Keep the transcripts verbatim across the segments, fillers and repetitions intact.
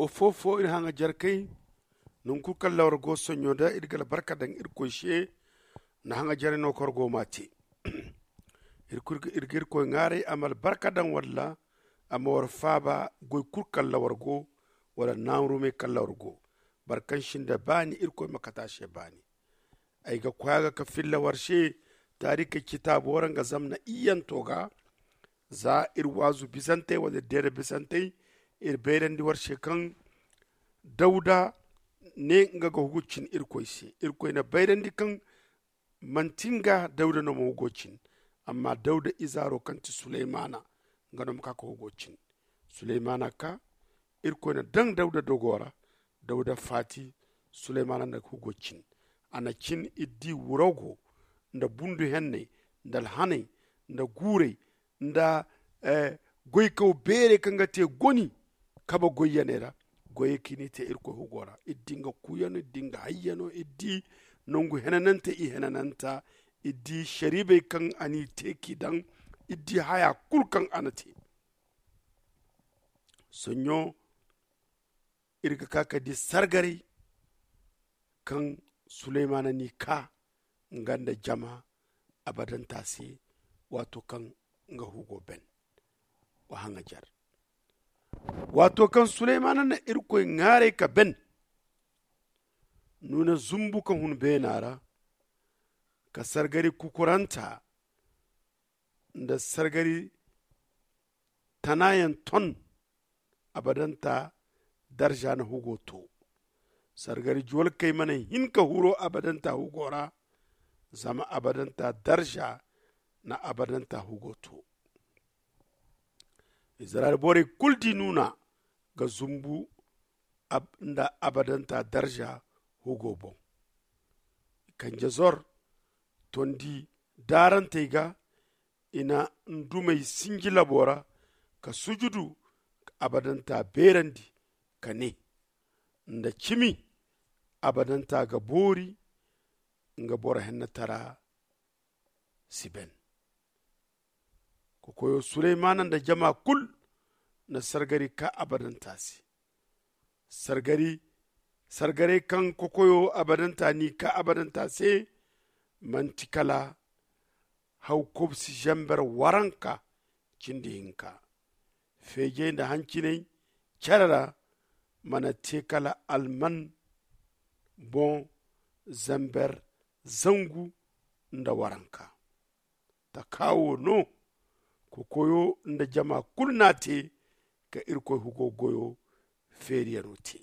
Ofofo iri haŋajarkey, nangu kulu kaŋ lawar go sonɲo da iri ga albarka daŋ irkoy se. Na haŋajaray no kaŋ war go m'a te. Iri ga irkoy ŋwaaray a ma albarka daŋ walla a ma war faaba goy kulu kaŋ lawar go, wala naarumey kaŋ lawar go. Boro kaŋ sinda baani irkoy ma kate a se baani. Ay ga koy a ga ka filla war se taarikey citaabo ra nga zama na iyyanto ga. Za iri waazu bisantey wala iri deeda bisantey, iri bayrandi war se kaŋ dawda ne nga ga hugu cin irkoy se. Irkoy na bayrandi kaŋ manti nga dawda no ma hugo cin, amma dawda izaaro kaŋ ti suleymana, nga no ma ka ka hugo cin. Suleymana ka, irkoy na daŋ dawda dogo ra. Dawda faati, suleymana na hugo cin. A na cin iddi wurago, nda bundu henney, nda alhaney, nda guurey, nda goykaw beerey kaŋ ga te goni kabe goyyaney ra. Goyey kaŋ i n'i te irkoy hugo ra, iri di nga kuuyano, iri di nga hayyano, iri di nangu henanante i henananta, iri di sariibey kaŋ a n'i te k'i daŋ, iri di haya kulu kaŋ a na te. Soɲɲo iri ga ka ka di sargaray kaŋ suleymana n'i ka nga nda jama abadanta se. Waato kaŋ nga hugo ben wa haŋajar. Waato kaŋ suleymana na irkoy ŋwaaray ka ben, nuuna zumbu ka hun beena ra, ka sargari kukuranta nda sargari tanayaŋ ton. Abadanta darza na hugo to. Sargari juwalkey mana hin ka huro abadanta hugo ra, zama abadanta darza na abadanta hugo to. Izirayel borey kulu di nuuna ga zumbu nda abadanta darza hugo boŋ. Kanje zor tondi daarantey ga, i na ndumey sinji labo ra ka sujudu, ka abadanta beerandi ka ne, nda cimi abadanta ga boori nga boro hennatara si ben. Kokoyo suleymana nda jama kulu na sargari ka abadanta se. Sargari sargaray kaŋ kokoyo abadanta n'i ka abadanta se, manti kala hawkobsi zamber waranka cindi hinka. Feejey nda hanciney care ra mana te kala alman boŋ zamber zangu nda waranka. Taka wo no kokoyo nda jama kulu n'a te ka irkoy hugo goyo feeriyano te.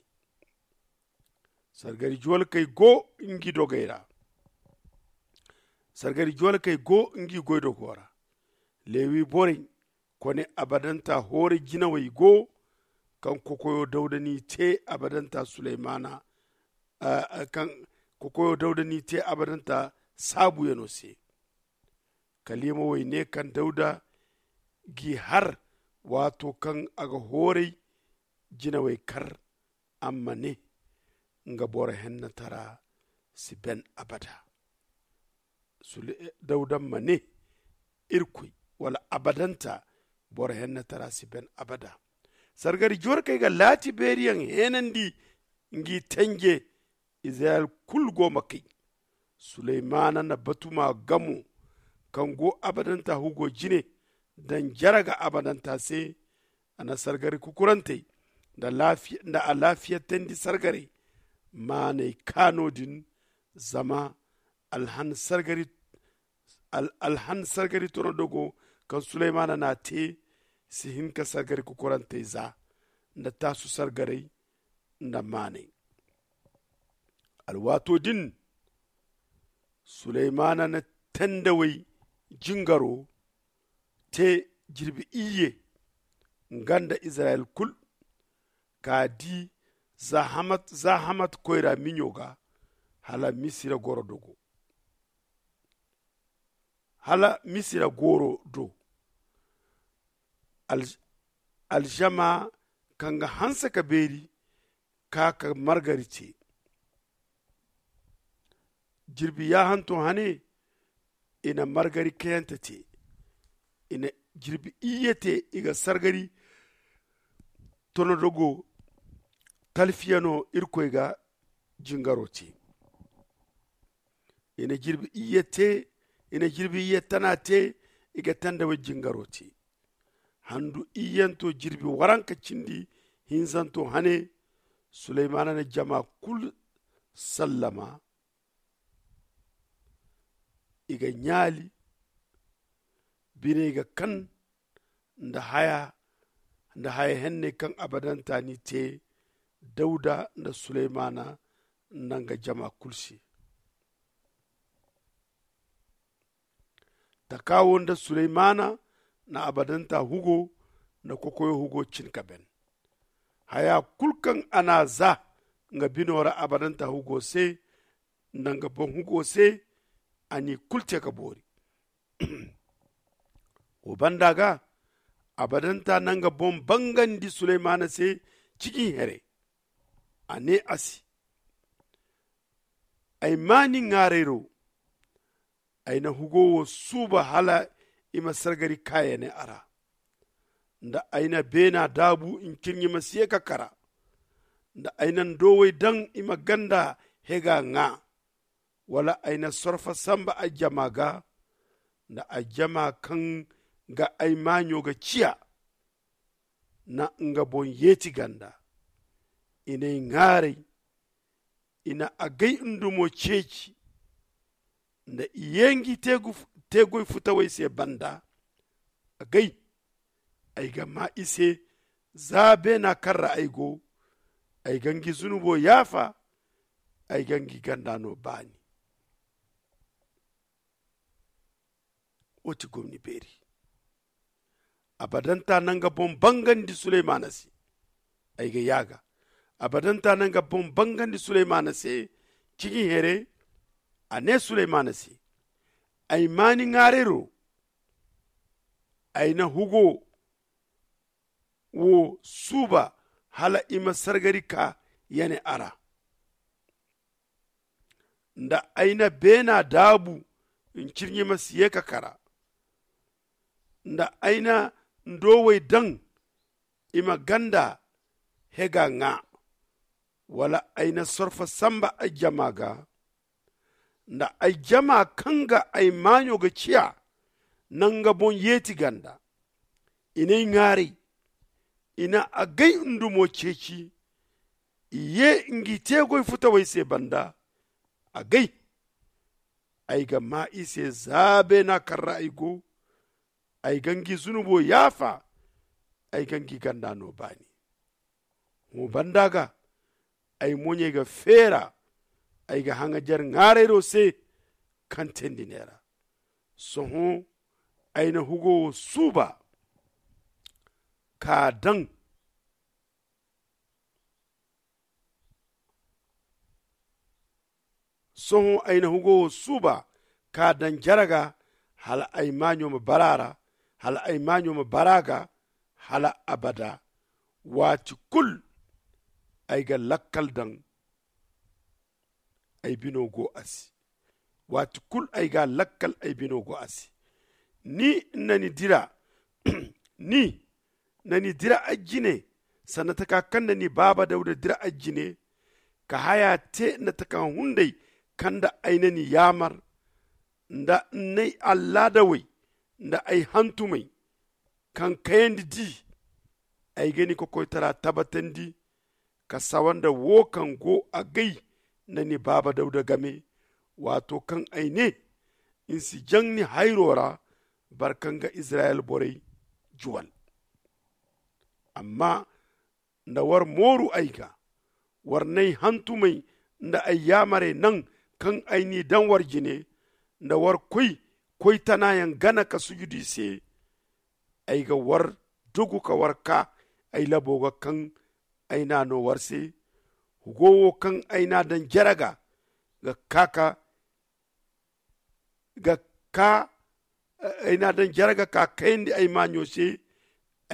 Sargari juwalkey go ngi dogey ra. Sargari juwalkey go ngi goydogo ra. Lewi borey kone abadanta hoore jinawey go, kaŋ kokoyo dawda n'i te abadanta suleymana kaŋ kokoyo dawda n'i te abadanta saabuyano se. Kaliimawey ne kaŋ dawda g'i har waato kaŋ a ga hooray jinawey kar, a ma ne nga boro hennatara si ben abada. Dawda ma ne, irkoy wala abadanta boro hennatara si ben abada. Sargari jorkey ga laati beeriyaŋ heenandi ngi tenje. Izirayel kulu go ma kay. Suleymana na batuma gamo kaŋ go abadanta hugo jine daŋ jaraga abadanta se. A na sargari kukurantey nda alaafiyatandi sargaray maanay kaano din. Zama alhan sargari tono dogo kaŋ suleymana n'a te si hin ka sargari kukurantey za nda taasu sargaray nda maanay. Alwaato din suleymana na tendawey jingaro te jirbi iyye nga nda izirayel kulu ka di za hamat koyra miɲo ga hala misira goro dogo. Hala misira goro do alzama kaŋ ga hanse ka beeri ka ka margari te. Jirbi yaahanto hane i na margari kayante te. I na jirbi iyye te i ga sargari tonodogo Talfiya no irkoy ga jingaro te. I na jirbi iyye te i na jirbi iyye tana te. I ga tandawey jingaro te. Handu iyyanto jirbi waranka cindi hinzanto hane. Suleymana na jama kulu sallama. I ga ɲaali biney ga kan nda haya nda haya henney kaŋ abadanta n'i te. Dawda nda suleymana nda nga jama kulu se. Taka wo nda suleymana na abadanta hugo nda kokoyo hugo cin ka ben. Haya kulu kaŋ a n'a za nga bino ra abadanta hugo se nda nga boŋ hugo se. A n'i kulu te ka boori. Wo banda ga abadanta na nga boŋ bangandi suleymana se. Ciji here a ne a se, ay ma ni ŋaaray ro. Ay na hugo wo suuba hala i ma sargari kaayane a ra. Nda ay na beena daabu ncirɲi ma si ye ka kara. Nda ay na ndowey daŋ i ma ganda hega ŋaa. Wala ay na sorfa samba ay jama ga. Nda ay jama kaŋ ga ay maaɲo ga ciya na nga boŋ yeeti ganda. I n'ay ŋaaray. I na agay ndumo ceeci. Nda i ye ngi teegoy futawey se banda. Agay ay ga maa i se. Za beena kaŋ ra ay go. Ay ga ngi zunubo yaafa. Ay ga ngi ganda no baani. Wo ti gomni beeri. Abadanta na nga boŋ bangandi suleymana se. Ay ga yaaga. Abadanta na nga boŋ bangandi suleymana se. Ciŋi here a ne suleymana se, ay ma ni ŋaarayro. Ay na hugo wo suuba hala i ma sargari ka yane a ra. Nda ay na beena daabu ncirɲi ma si ye ka kara. Nda ay na ndowey daŋ i ma ganda hega ŋaa. Wala ay na sorfa samba ay jama ga. Nda ay jama kaŋ ga ay maaɲo ga ciya na nga boŋ yeeti ganda. I n'ay ŋaaray. I na agay ndumo ceeci. I ye ngi teegoy futawey se banda. Agay ay ga maa i se za beena kaŋ ra ay go. Ay ga ngi zunubo yaafa. Ay ga ngi ganda no baani. Hõ banda ga ay moɲey ga feera. Ay ga haŋajer ŋaarayro se kaŋ teendi neera. Sohõ ay na hugo wo suuba ka daŋ. Sohõ ay na hugo wo suuba ka daŋ jare ga hala ay maaɲo ma bara a ra. Hala ay maaɲo ma bara a ga hala abada. Waati kulu ay ga lakkal daŋ. Ay bino go a se. Waati kulu ay ga lakkal ay bino go a se. Ni na ni dira ni na ni dira ay jine sanda taka kaŋ na ni baaba dawda dira ay jine. Ka haya te nda taka hunday kaŋ nda ay na ni yaamar nda n'ay allaadawey nda ay hantumey kaŋ kayandi di. Ay ga ni kokoytara tabbatandi ka sawa nda wo kaŋ go agay nda ni baaba dawda game. Waato kaŋ ay ne n'si jaŋ ni hayro ra. Boro kaŋ ga izirayel borey juwal. Amma nda war mooru ay ga war n'ay hantumey nda ay yaamarey naŋ kaŋ ay n'i daŋ war jine nda war koy koy tanayaŋ gana ka sujudu i se. Ay ga war dogu ka war kaa ay labo ga kaŋ ay n'a no war se. Hugo wo kaŋ ay n'a daŋ jare ga ga kaa ka ga kaa ay n'a daŋ jare ga ka kayandi ay maaɲo se.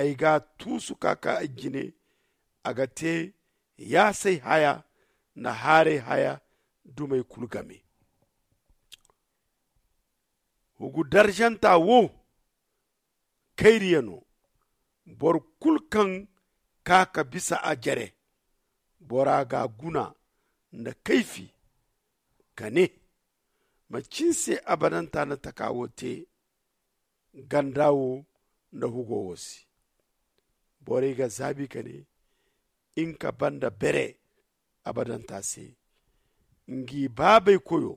Ay g'a tuusu ka kaa ay jine. A ga te yaasay haya nda haaray haya dumey kulu game. Hugu darzanta wo kayriya no. Boro kulu kaŋ kaa ka bisa a jare Bora ga guna nda kayfi ka ne, manci ni se abadanta na taka wo te ganda wo nda hugo wo se? Borey ga zaabi ka ne, in ka banda bere abadanta se. Ngi baabey koyo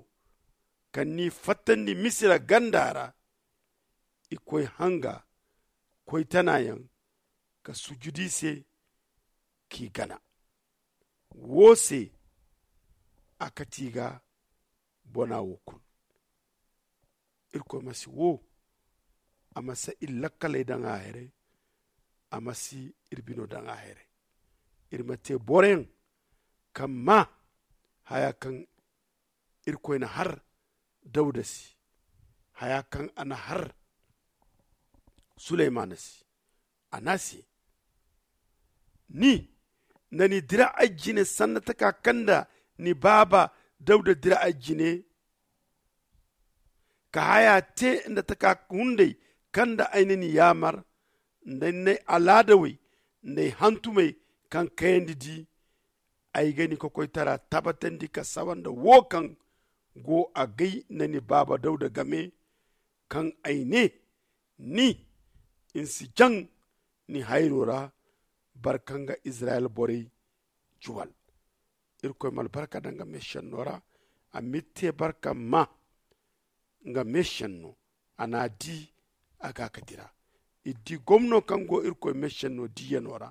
kaŋ n'i fattandi misira ganda ra, i koy hanga koy tanayaŋ ka sujudi se k'i gana. Wo se a kati ga bona wo kulu. Irkoy ma si wo a ma si iri lakkaley daŋ a haray. A ma si iri bino daŋ a haray. Iri ma te boroyaŋ kaŋ ma haya kaŋ irkoy na har dawda se, haya kaŋ a na har suleymana se. A ne a se, ni na ni dira ay jine sanna taka kaŋ nda ni baaba dawda dira ay jine, ka haya te nda taka hunday kaŋ nda ay na ni yaamar nda ni n'ay alaadawey nda ay hantumey kaŋ kayandi di. Ay ga ni kokoytara tabbatandi ka sawa nda wo kaŋ go agay nda ni baaba dawda game, kaŋ ay ne, ni n'si jaŋ ni hayro ra. Barka nga izirayel borey juwal. Irkoy ma albarka daŋ nga meesenno ra. A m'iri te barka ma nga meesenno. A n'a di a ga ka dira. Iri di gomno kaŋ go irkoy meesenno diyano ra,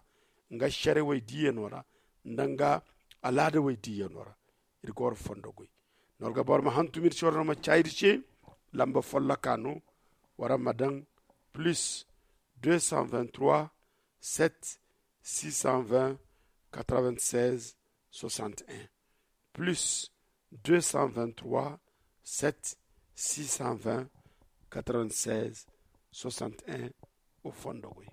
nga sharewey diyano ra, nda nga alaadawey diyano ra. Iri ga war fondo goy. Nor ga boro ma hantum iri soro no ma cayri ce. Lamba folloka no. Wara ma daŋ plus deux cent vingt-trois sept six cent vingt quatre-vingt-seize soixante-un, plus deux cent vingt-trois sept six cent vingt quatre-vingt-seize soixante-un. O fondo goy.